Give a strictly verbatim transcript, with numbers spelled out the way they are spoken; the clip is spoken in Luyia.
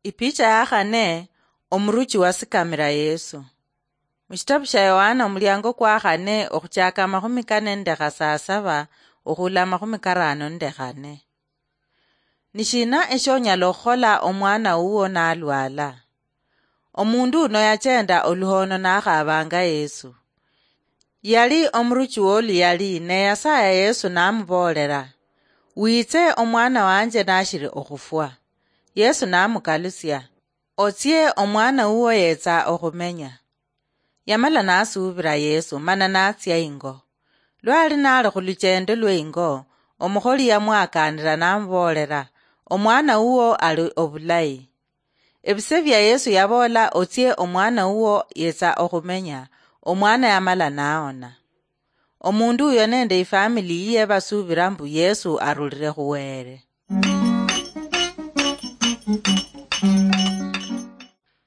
Ipicha ya khane, omuruchi wasikamira Yesu. Mushitabu sha Yohana, omuliango kwa khane, okhuchaka amakhumi kane nende khasasaba okhula amakhumi karano nende khane. Nishina eshonyala okhukhola omwana wuwo nalwala? Omundu uno yachenda oluhono nakhabanga Yesu. Yali omuruchi woluyali, ne yasaya Yesu namuboolera, "Witse, omwana wanje nashiri okhufwa." Yesu namukalusia, "Otsie, omwana wuwo yetsa okhumenya." Yamala nasuubira Yesu, mana natsia ingo. Lwali nali khuluchendo lwe ingo, omukholi yamwakanira namuboolera, "Omwana wuwo ali obulayi." Ebise bia Yesu yaboola, "Otsie, omwana wuwo yetsa okhumenya," omwana yamala naona. Omundu uyo nende ifamili yiye basuubira mbu Yesu arulire khuwere.